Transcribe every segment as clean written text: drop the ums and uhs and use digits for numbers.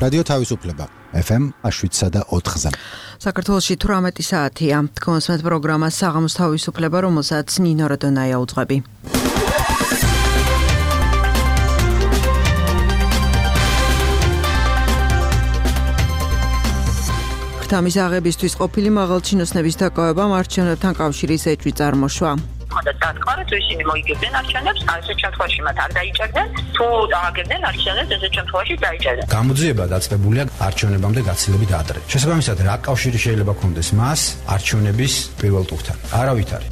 რადიო თავისუფლება FM 107.4-ზე. საქართველოში 18 საათია. თქვენს პროგრამა საღამოს თავისუფლება, რომელსაც ნინო რადონაია უძღვები. ქრთამის აღებისთვის ყოფილი მაღალჩინოსნების დაკავებამ არჩევნებთან კავშირის ეჭვი წარმოშვა. დათქვარით ისინი მოიგებდნენ არჩევნებს, ასეთ შემთხვევაში მათ არ დაიჭერდნენ, თუ დააგებდნენ არჩევნებს, ესეთ შემთხვევაში დაიჭერდნენ. გამოძიება დაწყებულია არჩევნებამდე გაცილებით ადრე. შესაბამისად, რა კავშირი შეიძლება ქონდეს მას არჩევნების პირველ ტურთან? არავითარი.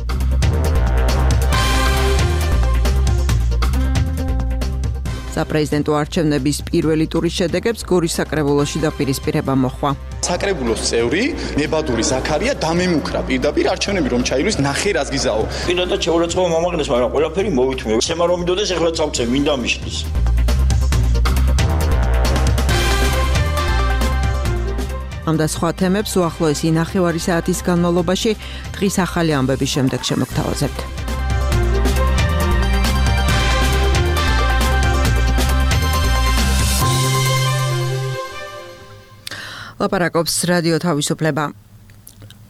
საპრეზიდენტო არჩევნების პირველი ტურის შედეგებს გორის საკრებულოში დაპირისპირება მოხდა. საკრებულოს წევრი ნებადური ზაქარია დამემუქრა პირდაპირ არჩევნები რომ ჩაილვის ნახე რას გიზაო. პირადად შეურაცხყოფა მომაგნეს, მაგრამ ყველაფერი მოვითმე. სემა რომ მიდოდეს ეხლა წავწე მინდა მიშლის. ამ და სხვა თემებს უახლოესი ნახევარი საათის განმავლობაში დღის ახალი ამბების შემდეგ შემოგთავაზებთ. ლაპარაკობს რადიო თავისუფლება.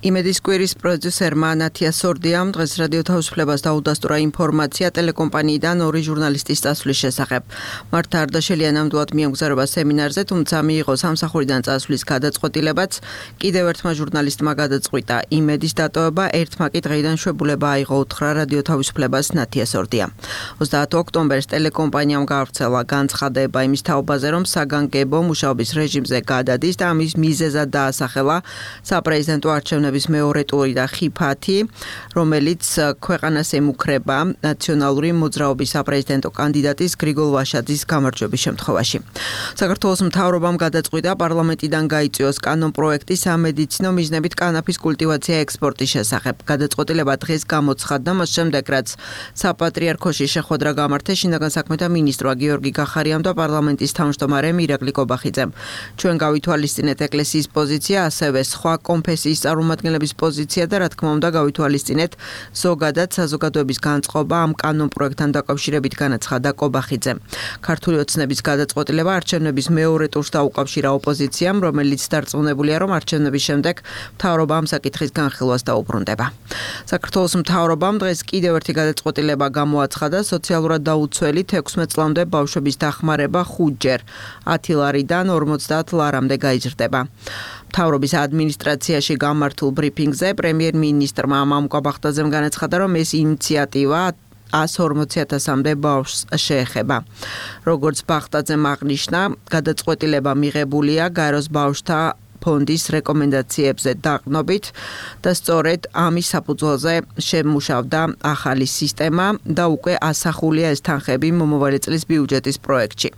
იმედის კვირის პროდიუსერმა ნათია სორდიამ დღეს რადიო თავისუფლებას დაუდასტურა ინფორმაცია ტელეკომპანიიდან ორი ჟურნალისტის წასვლის შესახებ. მართა არდაშელია ნამდვილად მიემგზავრება სემინარზე, თუმცა მიიღო სამსახურიდან წასვლის გადაწყვეტილებაც. კიდევ ერთმა ჟურნალისტმა გადაწყვიტა იმედის დატოვება, ერთმა კი დღეიდან შვებულება აიღო, უთხრა რადიო თავისუფლებას ნათია სორდია. 30 ოქტომბერს ტელეკომპანიამ გაავრცელა განცხადება იმის თაობაზე, რომ საგანგებო მუშაობის რეჟიმზე გადადის და ამის მიზეზად დაასახელა საპრეზიდენტო არჩევნების მეორე ტური და ხიფათი, რომელიც ქვეყანას ემუქრება ნაციონალური მოძრაობის საპრეზიდენტო კანდიდატის გრიგოლ ვაშაძის გამარჯვების შემთხვევაში. საქართველოს მთავრობამ გადაწყვიტა პარლამენტიდან გაიწვიოს კანონპროექტი სამედიცინო მიზნებით კანაფის კულტივაცია ექსპორტის შესახებ. გადაწყვეტილება დღეს გამოცხადდა, მას შემდეგ რაც საპატრიარქოში შეხვედრა გამართეს შინაგან საქმეთა მინისტრმა გიორგი გახარიამ და პარლამენტის თავმჯდომარემ ირაკლი კობახიძემ. ჩვენ გავითვალისწინეთ ეკლესიის პოზიცია, ასევე სხვა კონფესიის წარმომადგენლების პოზიცია და რა თქმა უნდა გავითვალისწინეთ ზოგადად საზოგადოების განწყობა ამ კანონპროექტთან დაკავშირებით, განაცხადა კობახიძემ. ქართული ოცნების გადაწყვეტილება არჩევნების მეორე ტურს დაუკავშირა ოპოზიციამ, რომელიც დარწმუნებულია, რომ არჩევნების შემდეგ მთავრობა ამ საკითხის განხილვას დაუბრუნდება. საქართველოს მთავრობამ დღეს კიდევ ერთი გადაწყვეტილება გამოაცხადა სოციალურად დაუცველი 16 წლამდე ბავშვების დახმარება 5-ჯერ 10 ლარიდან 50 ლარამდე გაიზრდება. მთავრობის ადმინისტრაციაში გამართულ ბრიფინგზე პრემიერ-მინისტრმა ამამ ყაბახტაძემ განაცხადა, რომ ეს ინიციატივა 140,000-მდე ბავშვს შეეხება. როგორც ბახტაძემ აღნიშნა, გადაწყვეტილება მიღებულია გაეროს ბავშვთა ფონდის რეკომენდაციებზე დაყრდნობით და სწორედ ამის საფუძველზე შემუშავდა ახალი სისტემა და უკვე ასახულია ეს თანხები მომავალი წლის ბიუჯეტის პროექტში.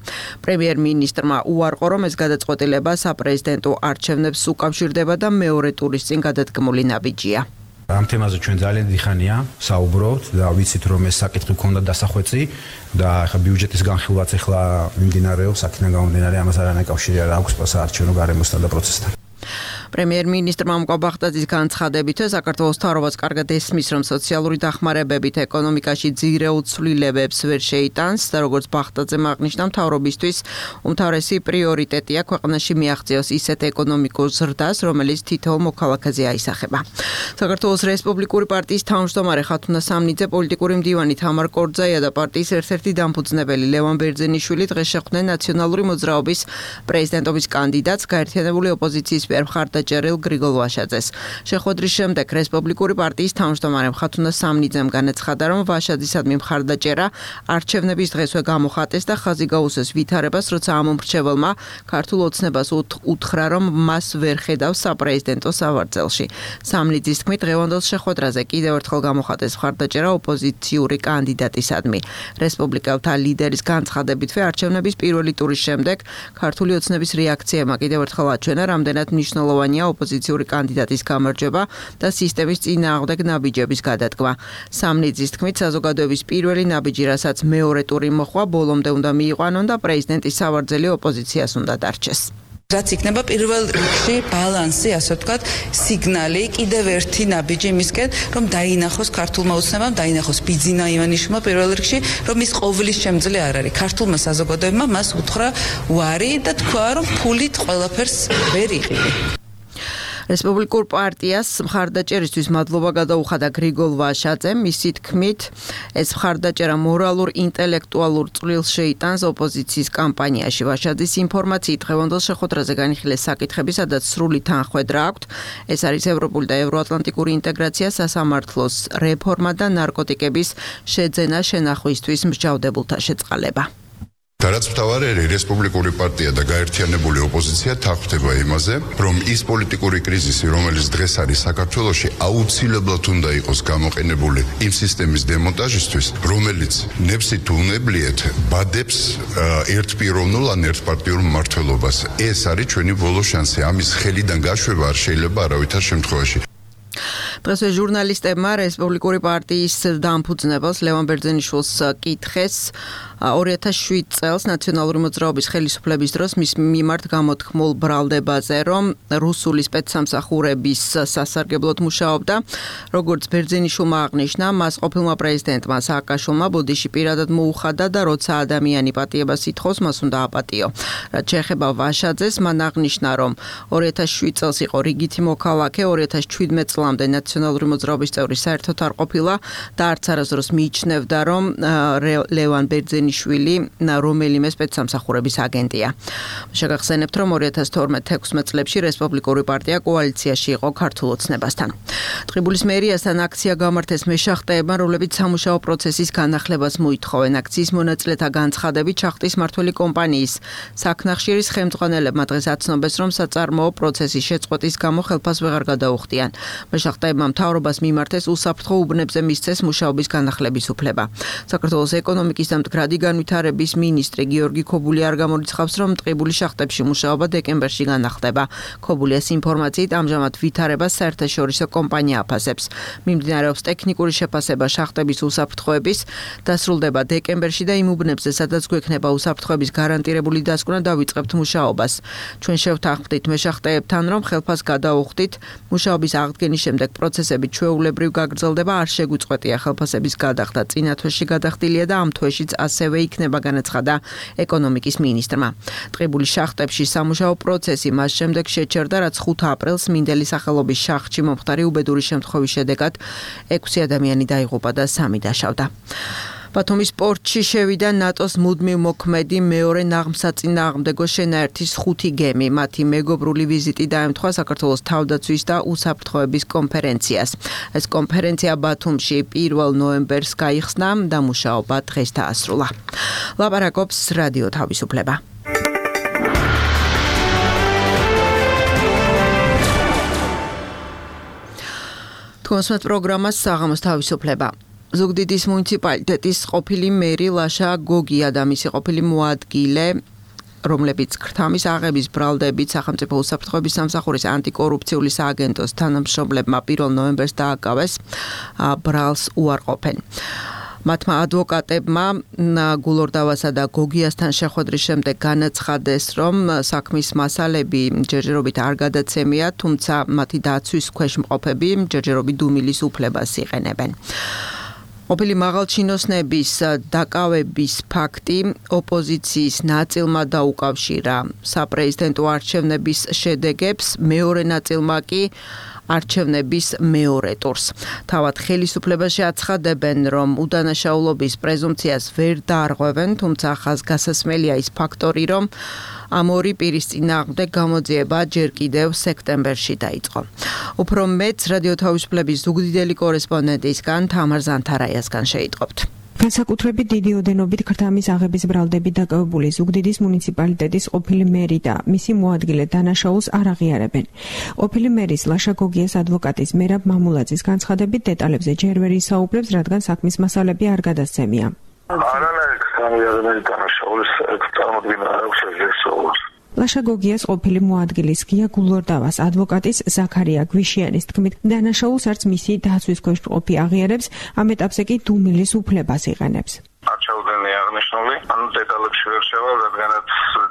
პრემიერ-მინისტრმა უარყო, რომ ეს გადაწყვეტილება საპრეზიდენტო არჩევნებს უკავშირდება და მეორე ტურის წინ გადადგმული ნაბიჯია. ამ თემაზე ჩვენ ძალიან დიდხანია საუბრობთ და ვიცით, რომ ეს საკითხი გქონდა დასახვეწი და ახლა ბიუჯეტის განხილვაც ახლა მიმდინარეობს, აქედან გამომდინარე ამას არანაირი კავშირი არ აქვს საარჩევნო გარემოსთან და პროცესთან. პრემიერ-მინისტრმა ყაბახტაძის განცხადებით საქართველოს მთავრობას კარგად ესმის, რომ სოციალური დახმარებებით ეკონომიკაში ძირეულ ცვლილებებს ვერ შეიტანს და როგორც ბახტაძემ აღნიშნა, მთავრობისთვის უმთავრესი პრიორიტეტია ქვეყანაში მიაღწიოს ისეთ ეკონომიკურ ზრდას, რომელიც თითოეულ მოქალაქეზე აისახება. საქართველოს რესპუბლიკური პარტიის თავმჯდომარე ხათუნა სამნიძე, პოლიტიკური მდივანი თამარ კორძაია და პარტიის ერთ-ერთი დამფუძნებელი ლევან ბერძენიშვილი დღეს შეხვდნენ ნაციონალური მოძრაობის პრეზიდენტობის კანდიდატს გაერთიანებული ოპოზიციის მხარდაჭერილ გრიგოლ ვაშაძეს. შეხვედრის შემდეგ რესპუბლიკური პარტიის თავმჯდომარემ ხათუნა სამნიძემ განაცხადა, რომ ვაშაძისადმი მხარდაჭერა არჩევნების დღესვე გამოხატეს და ხაზი გაუსვეს ვითარებას, როცა ამ მომრჩეველმა ქართულ ოცნებას უთხრა, რომ მას ვერ ხედავს საპრეზიდენტო სავარძელში. სამნიძის თქმით, დღევანდელ შეხვედრაზე კიდევ ერთხელ გამოხატეს მხარდაჭერა ოპოზიციური კანდიდატისადმი. რესპუბლიკელთა ლიდერის განცხადებითვე არჩევნების პირველი ტურის შემდეგ ქართული ოცნების რეაქციებმა კიდევ ერთხელ აჩვენა, რამდენად მნიშვნელოვანია ოპოზიციური კანდიდატის გამარჯვება და სისტემის წინააღმდეგ ნაბიჯების გადადგმა. სამნიძის თქმით, საზოგადოების პირველი ნაბიჯი, რასაც მეორე ტური მოხდა, ბოლომდე უნდა მიიყვანონ და პრეზიდენტის სავარძელი ოპოზიციას უნდა დარჩეს. რაც იქნება პირველ რიგში ბალანსი, ასე ვთქვათ, სიგნალი კიდევ ერთი ნაბიჯი მისკენ, რომ დაინახოს ქართულმა ოცნებამ, დაინახოს ბიძინა ივანიშვილმა პირველ რიგში, რომ ის ყოვლის შემძლე არ არის. ქართულმა საზოგადოებმა მას უთხრა უარი და თქვა, რომ ფულით ყველაფერს ვერ იღები. რესპუბლიკურ პარტიას მხარდაჭერისთვის მადლობა გადაუხადა გრიგოლ ვაშაძემ. მისი თქმით, ეს მხარდაჭერა მორალურ, ინტელექტუალურ წვლილს შეიტანს ოპოზიციის კამპანიაში. ვაშაძის ინფორმაციით დღევანდელ შეხვედრაზე განიხილეს საკითხები, სადაც სრული თანხმედრა აქვთ. ეს არის ევროპული და ევროატლანტიკური ინტეგრაცია, სასამართლოს რეფორმა და ნარკოტიკების შეძენა შენახვისთვის მსჯავრდებულთა შეწყალება. და რაც მთავარი რესპუბლიკური პარტია და გაერთიანებული ოპოზიცია თანხმდება იმაზე, რომ ის პოლიტიკური კრიზისი, რომელიც დღეს არის საქართველოში, აუცილებლად უნდა იყოს გამოყენებული იმ სისტემის დემონტაჟისთვის, რომელიც ნებსით უნებლიეთ ბადებს ერთპიროვნულ ან ერთპარტიულ მმართველობას. ეს არის ჩვენი ბოლო შანსი. ამის ხელიდან გაშვება არ შეიძლება არავითარ შემთხვევაში. დღესვე ჟურნალისტებმა რესპუბლიკური პარტიის დამფუძნებელს ლევან ბერძენიშვილს კითხეს 2007 წელს ნაციონალური მოძრაობის ხელისუფლების დროს მის მიმართ გამოთქმულ ბრალდებაზე, რომ რუსული სპეცსამსახურების სასარგებლოდ მუშაობდა. როგორც ბერძენიშვილმა აღნიშნა, მას ყოფილმა პრეზიდენტმა სააკაშვილმა ბოდიში პირადად მოუხადა და როცა ადამიანი პატიებას ითხოვს, მას უნდა აპატიო. რაც შეეხება ვაშაძეს, მან აღნიშნა, რომ 2007 წელს იყო რიგითი მოქალაქე, 2017 წლამდე ნაციონალური მოძრაობის წევრი საერთოდ არ ყოფილა და არც არასდროს მიიჩნევდა, რომ ლევან ბერძენიშვილი რომელიმე სპეცსამსახურების აგენტია. შეგახსენებთ, რომ 2012-16 წლებში რესპუბლიკური პარტია კოალიციაში იყო ქართულ ოცნებასთან. ტყიბულის მერიასთან აქცია გამართეს მეშახტეებმა, რომლებიც სამუშაო პროცესის განახლებას მოითხოვენ. აქციის მონაწილეთა განცხადებით შახტის მმართველი კომპანიის საქნახშირის ხელმძღვანელებმა დღეს აცნობეს, რომ საწარმოო პროცესის შეწყვეტის გამო ხელფას ვეღარ გადაუხდიან. მეშახტეებმა მთავრობას მიმართეს უსაფრთხო უბნებზე მისცეს მუშაობის განახლების უფლება. საქართველოს ეკონომიკის და მდგრადი განვითარების მინისტრი გიორგი ქობული არ გამორიცხავს, რომ ტყიბულის შახტებში მუშაობა დეკემბერში განახლდება. ქობულიას ინფორმაციით ამჟამად ვითარებას საერთაშორისო კომპანია აფასებს. მიმდინარეობს ტექნიკური შეფასება შახტების უსაფრთხოების, დასრულდება დეკემბერში და იმ უბნებზე, სადაც გვექნება უსაფრთხოების გარანტირებული დასკვნა, დავიწყებთ მუშაობას. ჩვენ შევთანხმდით მეშახტეებთან, რომ ხელფას გადაუხდით, მუშაობის აღდგენის შემდეგ პროცესები ჩვეულებრივ გაგრძელდება, არ შეგვიწყვეტია ხელფასების გადახდა. წინა თვეში გადახდილია და ამ თვეშიც ასევე იქნება, განაცხადა ეკონომიკის მინისტრმა. ტყიბულის შახტებში სამუშაო პროცესი მას შემდეგ შეჩერდა, რაც 5 აპრილს მინდელი სახელობის შახტში მომხდარი უბედური შემთხვევის შედეგად 6 ადამიანი დაიღუპა და 3 დაშავდა. ბათუმის პორტში შევიდა ნატოს მუდმივ მოქმედი მეორე ნაღმსაწინააღმდეგო შენაერთის 5 გემი. მათი მეგობრული ვიზიტი დაემთხვა საქართველოს თავდაცვის და უსაფრთხოების კონფერენციას. ეს კონფერენცია ბათუმში 1 ნოემბერს გაიხსნა და მუშაობა დღეს დაასრულა. ლაპარაკობს რადიო თავისუფლება. თქვენს პროგრამას საღამოს თავისუფლება. ზუგდიდის მუნიციპალიტეტის ყოფილი მერი ლაშა გოგია და მისი ყოფილი მოადგილე, რომლებიც ქრთამის აღების ბრალდებით სახელმწიფო უსაფრთხოების სამსახურის ანტიკორუფციული სააგენტოს თანამშრომლებმა 1 ნოემბერს დააკავეს, ბრალს უარყოფენ. მათმა ადვოკატებმა გულორდავასა და გოგიასთან შეხვედრის შემდეგ განაცხადეს, რომ საქმის მასალები ჯერჯერობით არ გადაცემია, თუმცა მათი დაცვის ქვეშ მყოფები ჯერჯერობით დუმილის უფლებას იყენებენ. ყოფილი მაღალჩინოსნების დაკავების ფაქტი ოპოზიციის ნაწილმა დაუკავშირა საპრეზიდენტო არჩევნების შედეგებს, მეორე ნაწილმა კი არჩევნების მეორე ტურს. თავად ხელისუფლებაში აცხადებენ, რომ უდანაშაულობის პრეზუმპციას ვერ დაარღვევენ, თუმცა ხაზგასასმელია ის ფაქტორი, რომ ამ ორი პირის წინააღმდეგ გამოძიება ჯერ კიდევ სექტემბერში დაიწყო. უფრო მეც რადიო თავისუფლების ზუგდიდელი კორესპონდენტისგან თამარ ზანთარაიასგან შეიტყობთ. განსაკუთრებით დიდი ოდენობით ქრთამის აღების ბრალდებით დაკავებული ზუგდიდის მუნიციპალიტეტის ყოფილი მერი და მისი მოადგილე დანაშაულს არ აღიარებენ. ყოფილი მერის ლაშა გოგიას ადვოკატის მერაბ მამულაძის განცხადებით დეტალებზე ჯერ ვერ ისაუბრებს, რადგან საქმის მასალები არ გადასცემია. ლაშა გოგიას ყოფილი მოადგილის გია გულორდავას ადვოკატის ზაქარია გვიშიანის თქმით, დანაშაულს არც მისი დაცვის ქვეშ მყოფი აღიარებს, ამ ეტაპზე კი დუმილის უფლებას იყენებს. არ ჩაუდენია აღნიშნული, დეტალებში ვერ შევალ, რადგანაც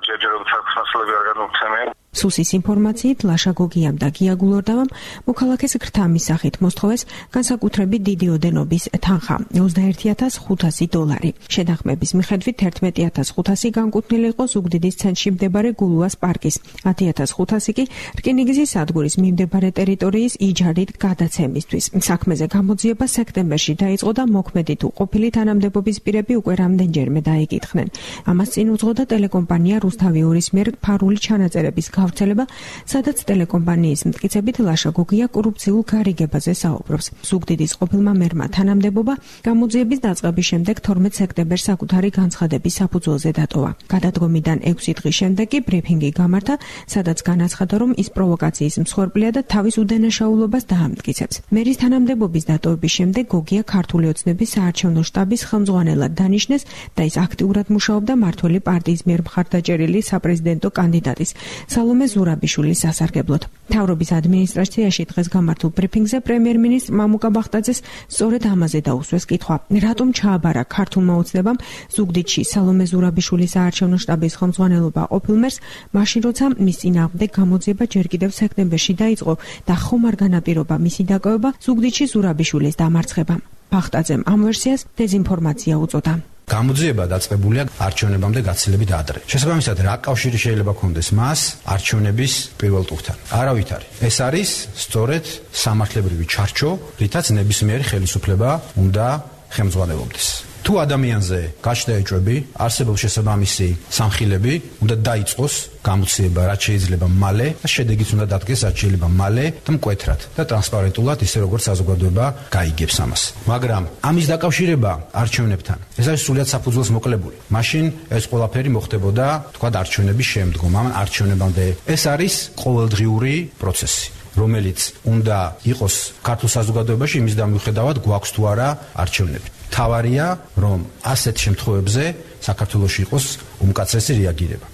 ჯერჯერობით საქმის მასალები არ გადმოგცემია. სუსის ინფორმაციით ლაშა გოგიამ და გია გულორდავამ მოქალაქეს გრთამის სახით მოსთხოვეს განსაკუთრებით დიდი ოდენობის თანხა $21,500. შეთანხმების მიხედვით 11,500 განკუთვნილი იყო ზუგდიდის ცენტრში მდებარე გულუას პარკის, 10,500 კი რკინიგზის სადგურის მიმდებარე ტერიტორიის იჯარით გადაცემისთვის. საქმეზე გამოძიება სექტემბერში დაიწყო და მოქმედი თუ ყოფილი თანამდებობის პირები უკვე რამდენჯერმე დაიკითხნენ. ამას წინ უძღოდა ტელეკომპანია რუსთავი 2-ის მიერ ფარული ჩანაწერების გავრცელება, სადაც ტელეკომპანიის მტკიცებით ლაშა გოგია კორუფციულ გარიგებაზე საუბრობს. ზუგდიდის ყოფილმა მერმა თანამდებობა გამოძიების დაწყების შემდეგ 12 სექტემბერს საკუთარი განცხადების საფუძველზე დატოვა. გადადგომიდან 6 დღის შემდეგ კი ბრიფინგი გამართა, სადაც განაცხადა, რომ ის პროვოკაციის მსხვერპლია და თავის უდანაშაულობას დაამტკიცებს. მერის თანამდებობის დატოვების შემდეგ გოგია ქართული ოცნების საარჩევნო შტაბის ხელმძღვანელად დანიშნეს და ის აქტიურად მუშაობდა მართველი პარტიის მიერ მხარდაჭერილი საპრეზიდენტო კანდიდატის სალომე ზურაბიშვილის სასარგებლოდ. მთავრობის ადმინისტრაციაში დღეს გამართულ ბრიფინგზე პრემიერ-მინისტრ მამუკა ბახტაძეს სწორედ ამაზე დაუსვეს კითხვა, რატომ ჩააბარა ქართულმა ოცნებამ ზუგდიდში სალომე ზურაბიშვილის საარჩევნო შტაბის ხელმძღვანელობა ყოფილ მერს, მაშინ როცა მის წინააღმდეგ გამოძიება ჯერ კიდევ სექტემბერში დაიწყო და ხომ არ განაპირობა მისი დაკავება ზუგდიდში ზურაბიშვილის დამარცხებამ. ბახტაძემ ამ ვერსიას დეზინფორმაცია უწოდა. გამოძიება დაწყებულია არჩევნებამდე გაცილებით ადრე. შესაბამისად, რა კავშირი შეიძლება ქონდეს მას არჩევნების პირველ ტურთან? არავითარი. ეს არის სწორედ სამართლებრივი ჩარჩო, რითაც ნებისმიერი ხელისუფლება უნდა ხელმძღვანელობდეს. თუ ადამიანზე გაჩნდა ეჭვები, არსებობს შესაბამისი სამხილები, უნდა დაიწყოს გამოცდილება, რაც შეიძლება მალე და შედეგიც უნდა დადგეს რაც შეიძლება მალე და მკვეთრად და ტრანსპარენტულად, ისე როგორც საზოგადოება გაიგებს ამას. მაგრამ ამის დაკავშირება არჩევნებთან, ეს არის სრულიად საფუძველს მოკლებული. მაშინ ეს ყველაფერი მოხდებოდა, თქვა, არჩევნების შემდგომ, ამ არჩევნებამდე. ეს არის ყოველდღიური პროცესი, რომელიც უნდა იყოს ქართულ საზოგადოებაში იმის დამოუკიდებლად გვაქვს თუ არა არჩევნები. თავარია, რომ ასეთ შემთხვევებზე საქართველოში იყოს უმკაცრესი რეაგირება.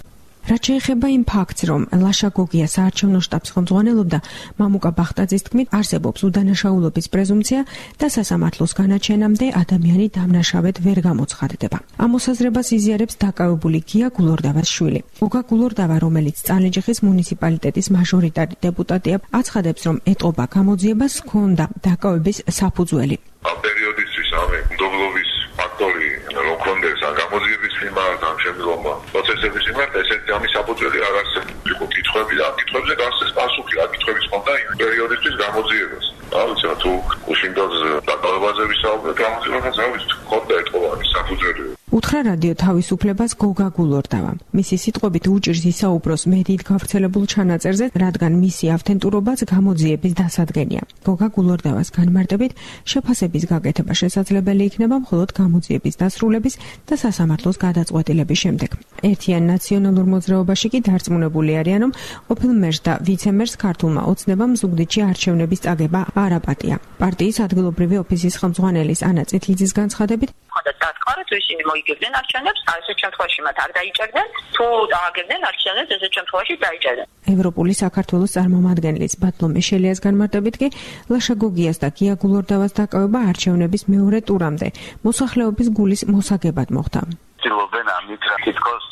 რაც შეეხება იმ ფაქტს, რომ ლაშა გოგია საარჩევნო შტაბს ხელმძღვანელობდა, მამუკა ბახტაძის თქმით, არსებობს უდანაშაულობის პრეზუმპცია და სასამართლოს განაჩენამდე ადამიანი დამნაშავედ ვერ გამოცხადდება. ამ მოსაზრებას იზიარებს დაკავებული გია გულორდავას შვილი. გოგა გულორდავა, რომელიც წალენჯიხის მუნიციპალიტეტის მაჟორიტარი დეპუტატია, აცხადებს, რომ ეტყობა გამოძიებას ჰქონდა დაკავების საფუძველი. ამ პერიოდისთვის ამე მდობლობის ფაქტორი რომ კონდეს ან გამოძიების მიმართ ან შემდგომ პროცესების მიმართ, ესეთი ამის საფუძველი არ არსებობს. იყო კითხვები და კითხვებზე გასცეს პასუხი, რა კითხვების ჰქონდა იმ პერიოდისთვის გამოძიებას. ალბათ თუ უშინდელს დაკავებაზე ვისაუბრეთ, გამოძიებას არ ვიცი, ჰქონდა ეტყობა ამის საფუძველი. უთხრა რადიო თავისუფლებას გოგა გულორდავამ. მისი სიტყვებით უჭირს ისაუბროს მედიით გავრცელებულ ჩანაწერზე, რადგან მისი ავთენტურობაც გამოძიების დასადგენია. გოგა გულორდავას განმარტებით, შეფასების გაკეთება შესაძლებელი იქნება მხოლოდ გამოძიების დასრულების და სასამართლოს გადაწყვეტილების შემდეგ. ერთიან ნაციონალურ მოძრაობაში კი დარწმუნებული არიან, რომ ყოფილ მერს და ვიცემერს ქართულმა ოცნებამ ზუგდიდში არჩევნების წაგება არ აპატია. პარტიის ადგილობრივი ოფისის ხელმძღვანელის ანა წითლიძის განცხადებით, დათქვა, თუ ისინი მოიგებდნენ არჩევნებს, ასეთ შემთხვევაში მათ არ დაიჭერდნენ, თუ დააგებდნენ არჩევნებს, ასეთ შემთხვევაში დაიჭერდნენ. ევროპული საქართველოს წარმომადგენლის ბატლო მეშელიას განმარტებით კი ლაშა გოგიას და გია გულორდავას დაკავება არჩევნების მეორე ტურამდე მოსახლეობის გულის მოსაგებად მოხდა. ცდილობენ ამით რა თითქოს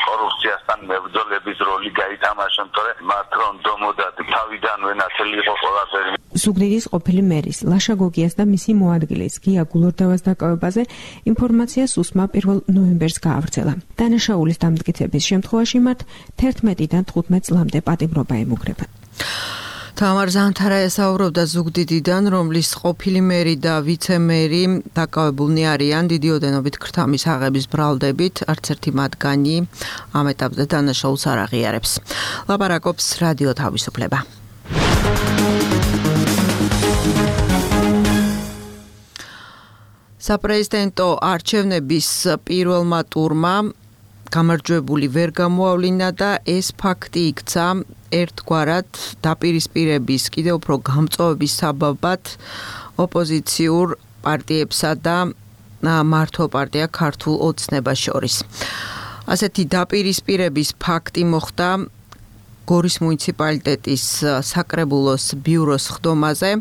კორუფციასთან მებრძოლების როლი გაითამაშონ, თორე მათ რომ დომოდათ თავიდანვე ნათელი იყო ყველაფერი. ზუგდიდის ყოფილი მერის ლაშა გოგიას და მისი მოადგილის გია გულორდავას დაკავებაზე ინფორმაცია სუსმა 1 ნოემბერს გაავრცელა. დანაშაულის დამტკიცების შემთხვევაში მათ 11-დან 15 წლამდე პატიმრობა ემუქრება. თამარ ზანთარაია საუბრობდა ზუგდიდიდან, რომლის ყოფილი მერი და ვიცემერი დაკავებულნი არიან დიდი ოდენობით ქრთამის აღების ბრალდებით, არც ერთი მათგანი ამ ეტაპზე დანაშაულს არ აღიარებს. ლაპარაკობს რადიო თავისუფლება. საპრეზიდენტო არჩევნების პირველმა ტურმა გამარჯვებული ვერ გამოავლინა და ეს ფაქტი იქცა ერთგვარად დაპირისპირების კიდევ უფრო გამწვავების საბაბად ოპოზიციურ პარტიებსა და მართო პარტია ქართულ ოცნებას შორის. ასეთი დაპირისპირების ფაქტი მოხდა გორის მუნიციპალიტეტის საკრებულოს ბიუროს ხდომაზე,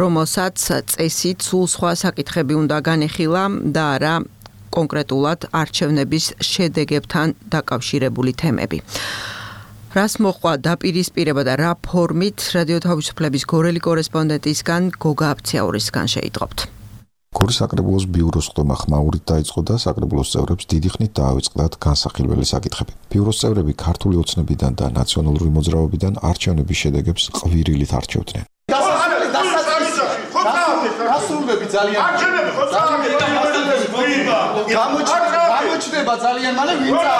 რომელსაც წესით სულ სხვა საკითხები უნდა განეხილა და არა კონკრეტულად არჩევნების შედეგებთან დაკავშირებული თემები. რას მოყვა დაპირისპირება და რა ფორმით რადიო თავისუფლების გორელი კორესპონდენტისგან გოგა აფციაურისგან შეიტყობთ. გორის საკრებულოს ბიუროს ხდომა ხმაურით დაიწყო და საკრებულოს წევრებს დიდი ხნით დაავიწყდათ განსახილველი საკითხები. ბიუროს წევრები ქართული ოცნებიდან და ნაციონალური მოძრაობიდან არჩევნების შედეგებს ყვირილით არჩევდნენ. გასრულები ძალიან გამოჩნდება ძალიან მალე ვინცა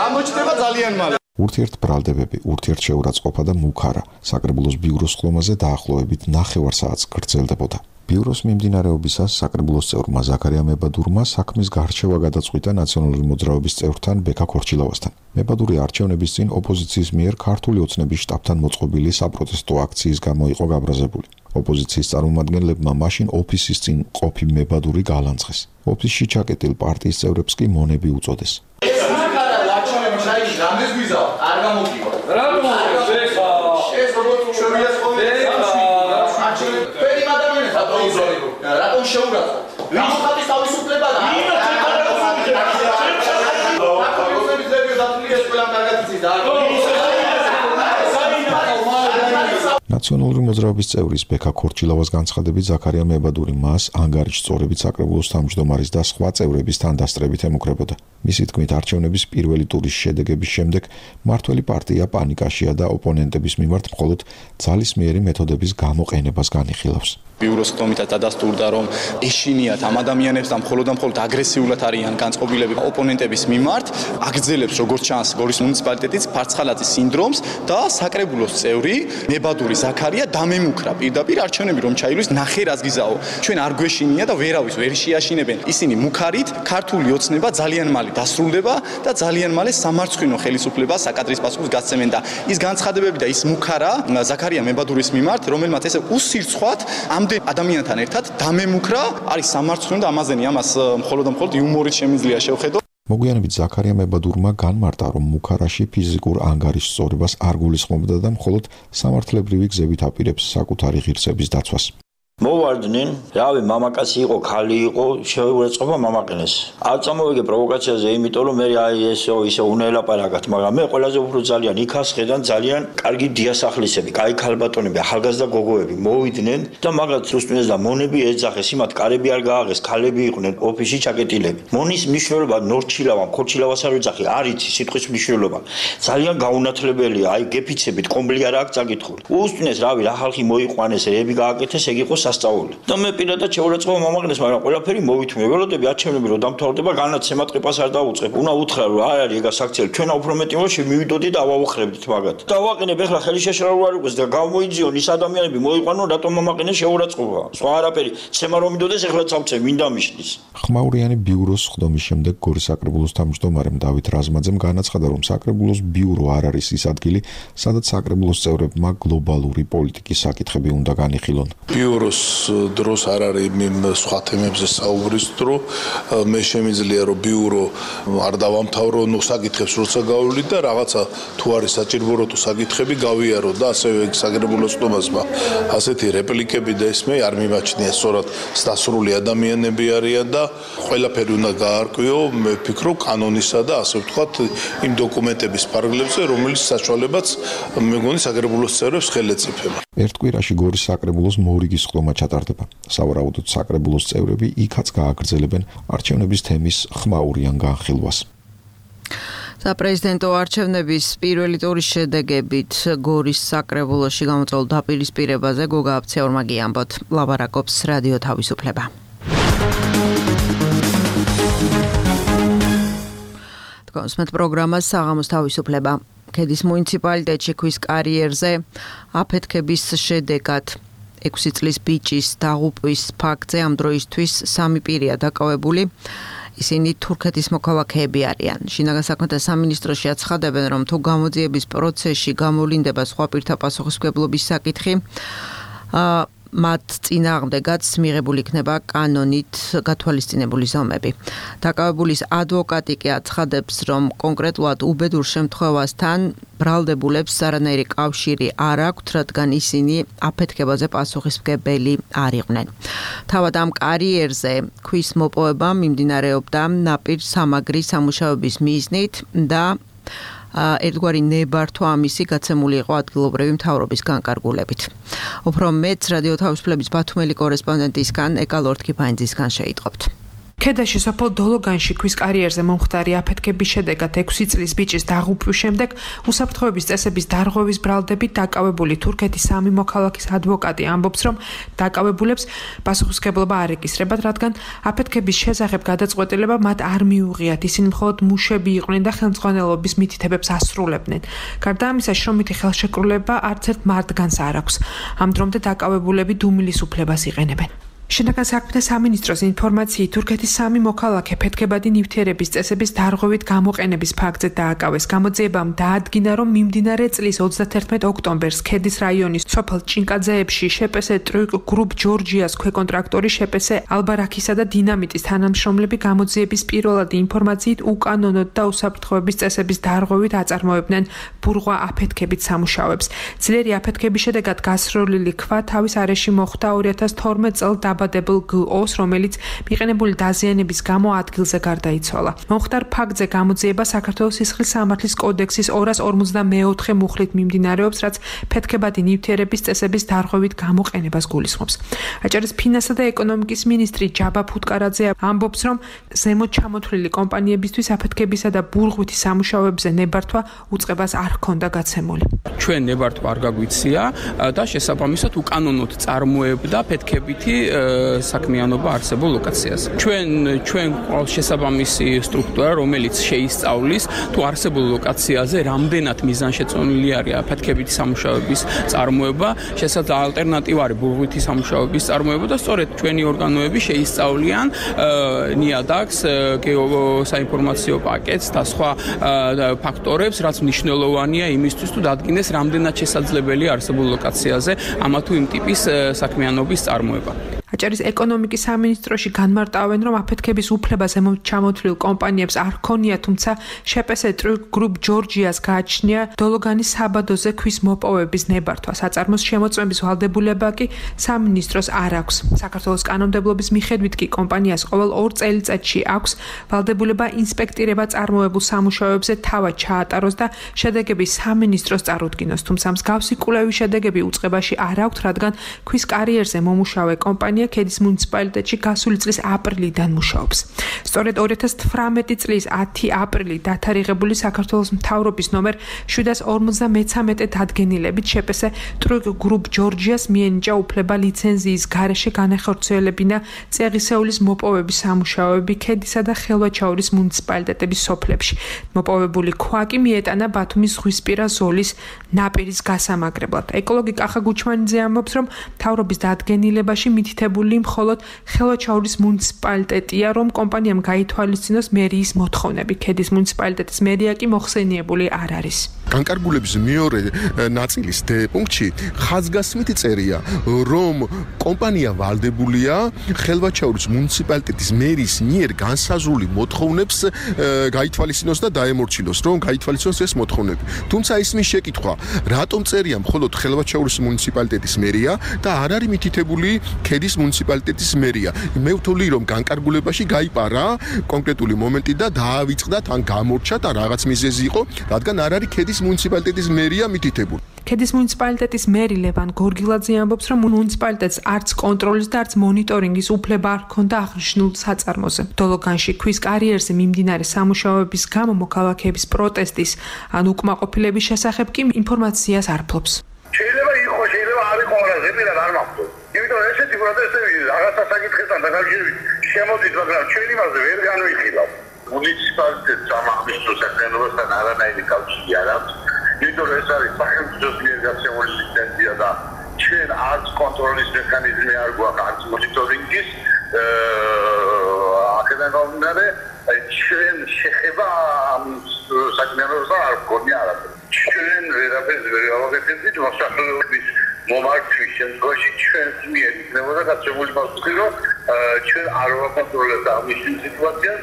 გამოჩნდება ძალიან მალე ურთიერთბრალდებები, ურთიერთშეურაცხყოფა და მუქარა საკრებულოს ბიუროს ხდომაზე დაახლოებით 9 საათს გრძელდებოდა. ბიუროს მიმდინარეობისას საკრებულოს წევრმა ზაქარია მებადურმა საქმის გარჩევა გადაწყვიტა ნაციონალური მოძრაობის წევრთან ბექა ქორჩილავასთან. მებადური არჩევნების წინ ოპოზიციის მიერ ქართული ოცნების შტაბთან მოწყობილი საპროტესტო აქციის გამო იყო გაბრაზებული. ოპოზიციის წარმომადგენლებმა მაშინ ოფისის წინ ყოფი მებადური გალანძღეს. ოფისში ჩაკეტილ პარტიის წევრებს კი მონები უწოდეს. ეს მაგარა არჩევნები ჩაიში რამდენს ვიზა არ გამოგივა. რა გამოგივა? ეს როგორც შევიას ხოლმე რატომ შეურაცხყოფ? ვინ ხატის თავისუფლება და ნაციონალური მოძრაობის წევრის ბექა ქორჩილავას განცხადებით ზაქარია მებადური მას ანგარიშ წორებით საკრებულოს თავმჯდომარის და სხვა წევრების თანდასწრებით ემუქრებოდა. მისი თქმით, არჩევნების პირველი ტურის შედეგების შემდეგ მმართველი პარტია პანიკაშია და ოპონენტების მიმართ მხოლოდ ძალისმიერი მეთოდების გამოყენებას განიხილავს. ბიუროს ხდომითაც დადასტურდა, რომ ეშინიათ ამ ადამიანებს და მხოლოდ აგრესიულად არიან განწყობილები ოპონენტების მიმართ, აგრძელებს როგორც ჩანს გორის მუნიციპალიტეტის ფარცხალაძის სინდრომს და საკრებულოს წევრი მებადური ზაქარია დამემუქრა პირდაპირ არჩევნები რომ ჩაილვის ნახე რას გიზაო. ჩვენ არ გვეშინია და ვერავის ვერ შეაშინებენ. ისინი მუქარით ქართული ოცნება ძალიან მალე დასრულდება და ძალიან მალე სამარცხვინო ხელისუფლებას საკადრის პასუხს გასცემენ და ის განცხადებები და ის მუქარა ზაქარია მებადურის მიმართ, რომელმაც ესე უსირცხვად ამდენ ადამიანთან ერთად დამემუქრა, არის სამარცხვინო და ამაზენი ამას მხოლოდ იუმორით შემიძლია შევხედო. მოგვიანებით ზაქარია მებადურმა განმარტა, რომ მუქარაში ფიზიკურ ანგარიშ სწორებას არ გულისხმობდა და მხოლოდ სამართლებრივი გზებით აპირებს საკუთარი ღირსების დაცვას. მოვარდნენ, რავი, მამაკაცი იყო, ქალი იყო, შეურაცხყოფა მამაკნეს. არ წამოვიგე პროვოკაციაზე, იმიტომ რომ მე ისე უნელაპარაკათ, მაგრამ მე ყველაზე უფრო ძალიან იქას ხედან ძალიან კარგი დიასახლისები, კაი ქალბატონები, ახალგაზრდა გოგოები მოვიდნენ და მაგათ რუსტუნეს და მონები ეძახეს, იმათ კარები არ გააღეს, ქალები იყვნენ ოფისში ჩაკეტილები. მონის მნიშვნელობა ნორჩილავა, ქორჩილავას არ ეძახი, არ იცი სიტყვის მნიშვნელობა. ძალიან გაუნათლებელია, აი გეფიცებით, კომბლი არ აქვს წაკითხული. უსტუნეს, რავი, რა ხალხი მოიყვანეს, რები გააკეთეს, ეგ იყო სასწაული. და მე პირადად შეურაცხყოფა მომაგნეს, მაგრამ ყველაფერი მოვითმე. ველოდები არჩევნები რომ დამთავრდება, განაცემად ყიფას არ დაუწყებ. უნდა უთხრა რომ არ არის ეგა საქციელი, ჩვენ უფრო მეტი რომ შევიდოდით და ავაუხრებდით მაგათ. და ვაყენებ ახლა ხელი შეშრალო არ იყოს და გამოიძიონ ის ადამიანები მოიყვანონ, რატომ მომაგნეს შეურაცხყოფა. სხვა არაფერი, ცემა რომ მიდოდეს ახლა წავწე, ვინ დამიშლის. ხმაურიანი ბიუროს ხდომის შემდეგ გორის საკრებულოს თავმჯდომარემ დავით რაზმაძემ განაცხადა, რომ საკრებულოს ბიურო არ არის ის ადგილი, სადაც საკრებულოს წევრებმა გლობალური პოლიტიკის საკითხები უნდა განიხილონ. ბიუროს დროს არ არის სხვა თემებზე საუბრის დრო, მე შემიძლია რომ ბიურო არ დავამთავრო ნუ საკითხებს როცა გავვლით და რაღაცა თუ არის საჭირო თუ საკითხები გავიარო და ასევე საკრებულოს ხდომასმა ასეთი რეპლიკები და ისმე არ მიმაჩნია, სწორად დასრული ადამიანები არიან და ყველაფერი უნდა გაარკვიო, მე ვფიქრობ კანონისა და ასე ვთქვათ იმ დოკუმენტების ფარგლებზე, რომელიც საშუალებაც მე მგონი საკრებულოს წევრებს ხელეწიფება. ერთ კვირაში გორის საკრებულოს მორიგის ხდომა ჩატარდება. სავარაუდოდ საკრებულოს წევრები იქაც გააგრძელებენ არჩევნების თემის ხმაურიან განხილვას. საპრეზიდენტო არჩევნების პირველი ტურის შედეგებით გორის საკრებულოში გამოწვეულ დაპირისპირებაზე გოგა აფციაურმა გიამბოთ. ლაპარაკობს რადიო თავისუფლება. თქვენს პროგრამას საღამოს თავისუფლება. ქედის მუნიციპალიტეტში ქვის კარიერზე აფეთქების შედეგად 6 წლის ბიჭის დაღუპვის ფაქტზე ამ დროისთვის 3 პირია დაკავებული. ისინი თურქეთის მოქალაქეები არიან. შინაგან საქმეთა სამინისტროში აცხადებენ, რომ თუ გამოძიების პროცესში გამოვლინდება სხვა პირთა პასუხისმგებლობის საკითხი, მათ წინააღმდეგაც მიღებული იქნება კანონით გათვალისწინებული ზომები. დაკავებულის ადვოკატი კი აცხადებს, რომ კონკრეტულად უბედურ შემთხვევასთან ბრალდებულებს არანაირი კავშირი არ აქვთ, რადგან ისინი აფეთქებაზე პასუხისმგებელი არ იყვნენ. თავად ამ კარიერზე ქვის მოპოვება მიმდინარეობდა ნაპირ სამაგრის სამუშაოების მიზნით და ერთგვარი ნებართვა ამისი გაცემული იყო ადგილობრივი მთავრობის განკარგულებით. უფრო მეც რადიო თავისუფლების ბათუმელი კორესპონდენტისგან ეკა ლორთქიფანძისგან შეიტყობთ. ქედაში სოფელ დოლოგანში ქვის კარიერზე მომხდარი აფეთქების შედეგად 6 წლის ბიჭის დაღუპვის შემდეგ უსაფრთხოების წესების დარღვევის ბრალდებით დაკავებული თურქეთის 3 მოქალაქის ადვოკატი ამბობს, რომ დაკავებულებს პასუხისმგებლობა არ ეკისრებათ, რადგან აფეთქების შესახებ გადაწყვეტილება მათ არ მიუღიათ. ისინი მხოლოდ მუშები იყვნენ და ხელმძღვანელობის მითითებებს ასრულებდნენ. გარდა ამისა, შრომითი ხელშეკრულება არც ერთ მართგანს არ აქვს. ამ დრომდე დაკავებულები დუმილის უფლებას იყენებენ. შინაგან საქმეთა სამინისტროს ინფორმაციით თურქეთის 3 მოქალაქე ფეთქებადი ნივთიერების წესების დარღვევით გამოყენების ფაქტზე დააკავეს. გამოძიებამ დაადგინა, რომ მიმდინარე წლის 31 ოქტომბერს ქედის რაიონის სოფელ ჭინკაძეებში შპს ტრიუკ გრუპ ჯორჯიას ქვეკონტრაქტორი შპს ალბარაქისა და დინამიტის თანამშრომლები გამოძიების პირველადი ინფორმაციით უკანონოდ და უსაფრთხოების წესების დარღვევით აწარმოებდნენ ბურღვა აფეთქებით სამუშაოებს. ძლიერი აფეთქების შედეგად გასროლილი ქვა თავის არეში მოხვდა 2012 წელს დაბადებულ გ-ოს, რომელიც მიყენებული დაზიანების გამო ადგილზე გარდაიცვალა. მომხდარ ფაქტზე გამოძიება საქართველოს სისხლის სამართლის კოდექსის 254 მუხლით მიმდინარეობს, რაც ფეთქებადი ნივთიერების წესების დარღვევით გამოყენებას გულისხმობს. აჭარის ფინანსთა და ეკონომიკის მინისტრი ჯაბა ფუტკარაძე ამბობს, რომ ზემოთ ჩამოთვლილი კომპანიებისთვის აფეთქებისა და ბურღვითი სამუშაოებზე ნებართვა უწყებას არ ჰქონდა გაცემული. ჩვენ ნებართვა არ გაგვიცია და შესაბამისად უკანონოდ წარმოებდა ფეთქებითი საქმიანობა არსებულ ლოკაციაზე. ჩვენ ყავს შესაბამისი სტრუქტურა, რომელიც შეისწავლის თუ არსებულ ლოკაციაზე რამდენად მიზანშეწონილი არის აფეთქებითი სამუშაოების წარმოება, შესაძლოა ალტერნატივა არის ბურღვითი სამუშაოების წარმოება და სწორედ ჩვენი ორგანოები შეისწავლიან ნიადაგს, გეოსაინფორმაციო პაკეტს და სხვა ფაქტორებს, რაც მნიშვნელოვანია იმისთვის, თუ დადგინდეს რამდენად შესაძლებელია არსებულ ლოკაციაზე ამა თუ იმ ტიპის საქმიანობის წარმოება. აჭარის ეკონომიკის სამინისტროში განმარტავენ, რომ აფეთქების უფლება ზემოთ ჩამოთვლილ კომპანიებს არ ჰქონია, თუმცა შპს ტრიუკ გრუპ ჯორჯიას გააჩნია დოლოგანის საბადოზე ქვის მოპოვების ნებართვა. საწარმოს შემოწმების ვალდებულება კი სამინისტროს არ აქვს. საქართველოს კანონმდებლობის მიხედვით კი კომპანიას ყოველ 2 წელიწადში აქვს ვალდებულება ინსპექტირება წარმოებულ სამუშაოებზე თავად ჩაატაროს და შედეგები სამინისტროს წარუდგინოს. თუმცა მსგავსი კვლევის შედეგები უწყებაში არ აქვს, რადგან ქვის კარიერზე მომუშავე კომპანია ქედის მუნიციპალიტეტში გასული წლის აპრილიდან მუშაობს. სწორედ 2018 წლის 10 აპრილით დათარიღებული საქართველოს მთავრობის ნომერ 753 დადგენილებით შპს ტრიუკ გრუპ ჯორჯიას მიენიჭა უფლება ლიცენზიის გარეშე განახორციელებინა წეღისეულის მოპოვების სამუშაოები ქედისა და ხელვაჩაურის მუნიციპალიტეტების სოფლებში. მოპოვებული ქვა კი მიეტანა ბათუმის ზღვისპირა ზოლის ნაპირის გასამაგრებლად. ეკოლოგი კახა გუჩმანიძე ამბობს, რომ მთავრობის დადგენილებაში მითითებული მხოლოდ ხელვაჩაურის მუნიციპალიტეტია, რომ კომპანიამ გაითვალისწინოს მერიის მოთხოვნები. ქედის მუნიციპალიტეტის მერია კი მოხსენიებული არ არის. განკარგულების მეორე ნაწილის D პუნქტში ხაზგასმით წერია, რომ კომპანია ვალდებულია ხელვაჩაურის მუნიციპალიტეტის მერის მიერ განსაზღვრული მოთხოვნებს გაითვალისწინოს და დაემორჩილოს, რომ გაითვალისწინოს ეს მოთხოვნები. თუმცა ისმის შეკითხვა, რატომ წერია მხოლოდ ხელვაჩაურის მუნიციპალიტეტის მერია და არ არის მითითებული ქედის მუნიციპალიტეტის მერია. მე ვთვლი, რომ განკარგულებაში გაიპარა კონკრეტული მომენტი და დაავიწყდა თან გამორჩა და რაღაც მიზეზი იყო, რადგან არ არის ქედის მუნიციპალიტეტის მერია მითითებული. ქედის მუნიციპალიტეტის მერი ლევან გორგილაძე ამბობს, რომ მუნიციპალიტეტს არც კონტროლის და არც მონიტორინგის უფლება არ ჰქონდა აღნიშნულ საწარმოზე. დოლოგანში ქვის კარიერზე მიმდინარე სამუშაოების გამო მოქალაქეების პროტესტის ან უკმაყოფილების შესახებ კი ინფორმაციას არ ფლობს. შეიძლება იყოს, შეიძლება არ იყოს, ზეპირად არ მაქვს. იმიტომ ესეთი პროტესტები რაღაცა საკითხებთან დაკავშირებით შემოდით, მაგრამ ჩვენ იმაზე ვერ განვიხილავ. მუნიციპალიტეტს ამაღლისო საქმიანობასთან არანაირი კავშირი არ აქვს. იმიტომ ეს არის სახელმწიფოს მიერ გაცემული ლიცენზია და ჩვენ არც კონტროლის მექანიზმი არ გვაქვს, არც მონიტორინგის აქედან გამომდინარე ჩვენ შეხება ამ საქმიანობასთან არ გვქონია არაფერი. ჩვენ ვერაფერს ვერ გავაკეთებდით მოსახლეობის მომართვის შემთხვევაში ჩვენს მიერ იქნებოდა გაცემული პასუხი, რომ ჩვენ არ ვაკონტროლებთ ამ სიტუაციას.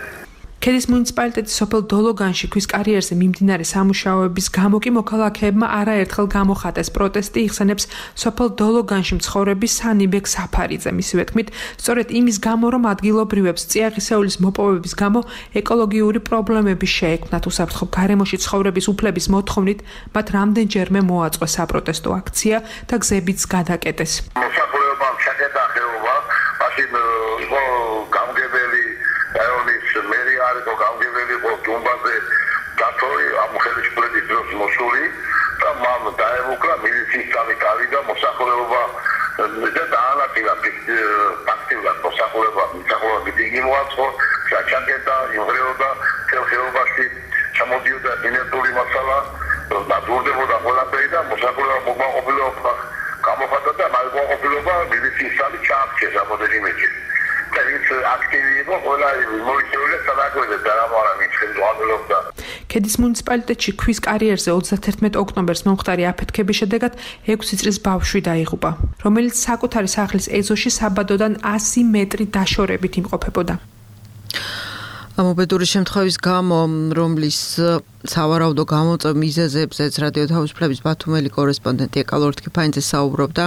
ქედის მუნიციპალიტეტის სოფელ დოლოგანში ქვის კარიერზე მიმდინარე სამუშაოების გამო კი მოქალაქეებმა არაერთხელ გამოხატეს პროტესტი იხსენებს სოფელ დოლოგანში მცხოვრები სანიბეკ საფარიძე. მისივე თქმით, სწორედ იმის გამო, რომ ადგილობრივებს წიაღისეულის მოპოვების გამო ეკოლოგიური პრობლემები შეექმნათ, უსაფრთხო გარემოში ცხოვრების უფლების მოთხოვნით მათ რამდენჯერმე მოაწყვეს საპროტესტო აქცია და გზებიც გადაკეტეს. მოსახლეობამ ჩაკეტა ხეობა, მაშინ იყო გამგებელი რაიონის მერი არის თუ გამგებელი იყო დუმბაზე დათოი ამ ხელისუფლების დროს მოსული და მამ დაემუქრა მილიციის წამი გავიდა მოსახლეობა და დაანაწილა ფაქტიურად მოსახლეობა დიდი მოაწყო ჩაკეტა იმღრეოდა ხეობაში ჩამოდიოდა ენერგიული მასალა დაბურდებოდა ყველაფერი და მოსახლეობა მოგმაყოფილება გამოხატა და მალგოყოფილობა მილიციის წამი ჩააქცეს რამოდენიმეჯი და ის აქტივი იყო ყველა მოიწვია სადაკვეთე და რამარა მიჩნდა ქედის მუნიციპალიტეტში ქვის კარიერზე 31 ოქტომბერს მომხდარი აფეთქების შედეგად 6 წლის ბავშვი დაიღუპა, რომელიც საკუთარი სახლის ეზოში საბადოდან 100 მეტრი დაშორებით იმყოფებოდა. ამობედური შემთხვევის გამო, რომლის სავარაუდო გამოწვევ მიზეზებზეც რადიო თავისუფლების ბათუმელი კორესპონდენტი ეკალორ თქიფანიძე საუბრობდა.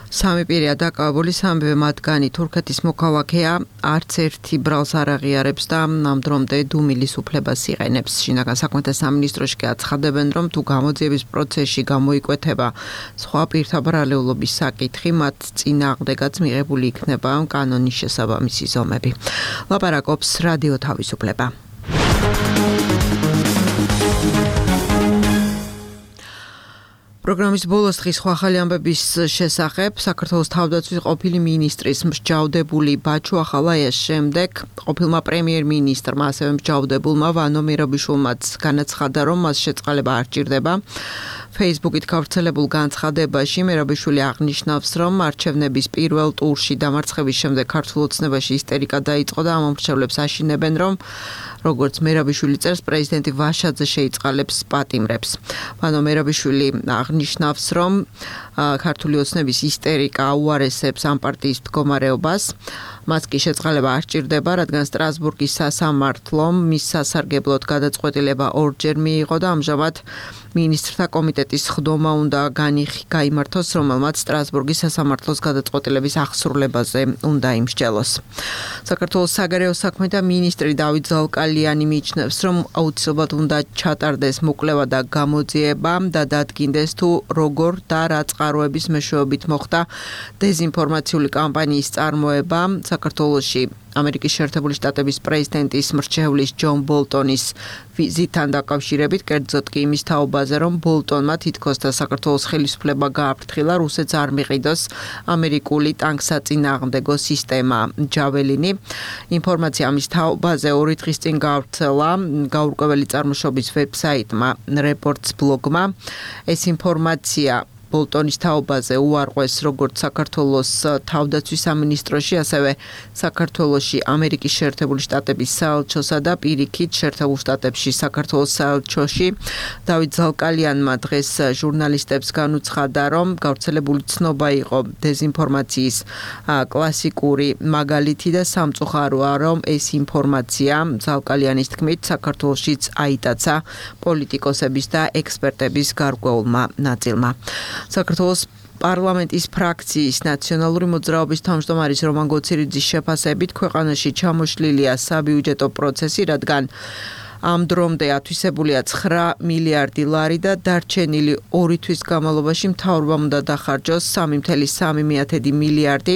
სამი პირია დაკავებული, სამივე მათგანი თურქეთის მოქალაქეა, არც ერთი ბრალს არ აღიარებს და ამ დრომდე დუმილის უფლებას იყენებს. შინაგან საქმეთა სამინისტროში აცხადებენ, რომ თუ გამოძიების პროცესში გამოიკვეთება სხვა პირთა ბრალეულობის საკითხი, მათ წინააღმდეგაც მიღებული იქნება კანონის შესაბამისი ზომები. ლაპარაკობს რადიო თავისუფლება. პროგრამის ბოლოს დღის ახალი ამბების შესახებ საქართველოს თავდაცვის ყოფილი მინისტრის მსჯავრდებული ბაჩუ ახალაიას შემდეგ ყოფილმა პრემიერ-მინისტრმა ასევე მსჯავრდებულმა ვანო მერაბიშვილმაც განაცხადა, რომ მას შეწყალება არ ჭირდება. Facebook-ით გავრცელებულ განცხადებაში მერაბიშვილი აღნიშნავს, რომ არჩევნების პირველ ტურში დამარცხების შემდეგ ქართულ ოცნებაში ისტერიკა დაიწყო და ამომრჩევლებს აშინებენ, რომ როგორც მერაბიშვილი წერს, პრეზიდენტი ვაშაძე შეიწყალებს პატიმრებს. ვანო მერაბიშვილი აღნიშნავს, რომ ქართული ოცნების ისტერიკა აუარესებს ამ პარტიის მდგომარეობას. მას კი შეწყალება არ ჭირდება, რადგან სტრასბურგის სასამართლომ მის სასარგებლოდ გადაწყვეტილება ორჯერ მიიღო და ამჟამად მინისტრთა კომიტეტის ხდომა უნდა გაიმართოს, რომელმაც სტრასბურგის სასამართლოს გადაწყვეტილების აღსრულებაზე უნდა იმსჯელოს. საქართველოს საგარეო საქმეთა მინისტრი დავით ზალკალიანი მიიჩნევს, რომ აუცილებლად უნდა ჩატარდეს მოკვლევა და გამოძიება და დადგინდეს თუ როგორ და რა წყაროების მეშვეობით მოხდა დეზინფორმაციული კამპანიის წარმოება საქართველოში. ამერიკის შეერთებული შტატების პრეზიდენტის მრჩევლის ჯონ ბოლტონის ვიზიტთან დაკავშირებით, კერძოდ კი იმის თაობაზე, რომ ბოლტონმა თითქოს და საქართველოს ხელისუფლება გააფრთხილა რუსეთს არ მიყიდოს ამერიკული ტანკსაწინააღმდეგო სისტემა ჯაველინი. ინფორმაცია ამის თაობაზე 2 დღის წინ გავრცელა გაურკვეველი წარმოშობის ვებსაიტმა რეპორტს ბლოგმა. ეს ინფორმაცია ბოლტონის თაობაზე უარყვეს როგორც საქართველოს თავდაცვის სამინისტროში, ასევე საქართველოში ამერიკის შეერთებული შტატების საელჩოსა და პირიქით შეერთებულ შტატებში საქართველოს საელჩოში. დავით ზალკალიანმა დღეს ჟურნალისტებს განუცხადა, რომ გავრცელებული ცნობა იყო დეზინფორმაციის კლასიკური მაგალითი და სამწუხაროა, რომ ეს ინფორმაცია ზალკალიანის თქმით საქართველოშიც აიტაცა პოლიტიკოსების და ექსპერტების გარკვეულმა ნაწილმა. საქართველოს პარლამენტის ფრაქციის ნაციონალური მოძრაობის თავმჯდომარის რომან გოცირიძის შეფასებით ქვეყანაში ჩამოშლილია საბიუჯეტო პროცესი, რადგან ამ დრომდე ათვისებულია 9 მილიარდი ლარი და დარჩენილი 2 თვის განმავლობაში მთავრობამ უნდა დახარჯოს 3,3 მილიარდი.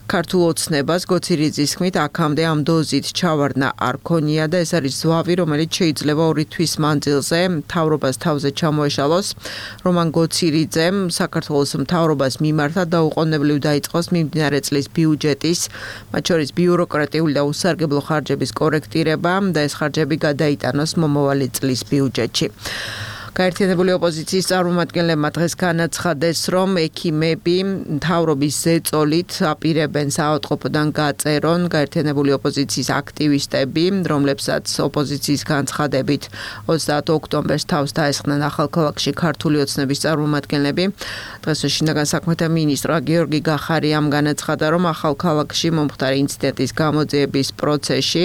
ქართულ ოცნებას გოცირიძის თქმით, აქამდე ამ დოზით ჩავარდნა არ ქონია და ეს არის ზვავი, რომელიც შეიძლება 2 თვის მანძილზე მთავრობას თავზე ჩამოეშალოს. რომან გოცირიძემ საქართველოს მთავრობას მიმართა და უყოვნებლივ დაიწყოს მიმდინარე წლის ბიუჯეტის, მათ შორის ბიუროკრატიული და უსარგებლო ხარჯების კორექტირება და ეს ხარჯები გადაიტანოს მომავალი წლის ბიუჯეტში. გაერთიანებული ოპოზიციის წარმომადგენლებმა დღეს განაცხადეს, რომ ექიმები მთავრობის ზეწოლით აპირებენ საავადმყოფოდან გაწერონ გაერთიანებული ოპოზიციის აქტივისტები, რომლებსაც ოპოზიციის განცხადებით 30 ოქტომბერს თავს დაესხნენ ახალქალაქში ქართული ოცნების წარმომადგენლები. დღეს შინაგან საქმეთა მინისტრმა გიორგი გახარიამ განაცხადა, რომ ახალქალაქში მომხდარი ინციდენტის გამოძიების პროცესში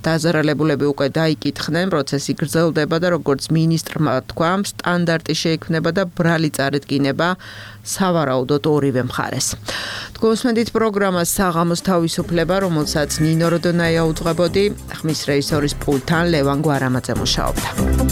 დაზარალებულები უკვე დაიკითხნენ, პროცესი გრძელდება და როგორც მინისტრმა თქვა, სტანდარტი შეიქმნება და ბრალი წარედგინება სავარაუდოდ ორივე მხარეს. თქვენსმენდით პროგრამას საღამოს თავისუფლება, რომელსაც ნინო როდონაია უძღვებოდი, ხმის რეჟისორის პულტთან ლევან გვარამაძე მუშაობდა.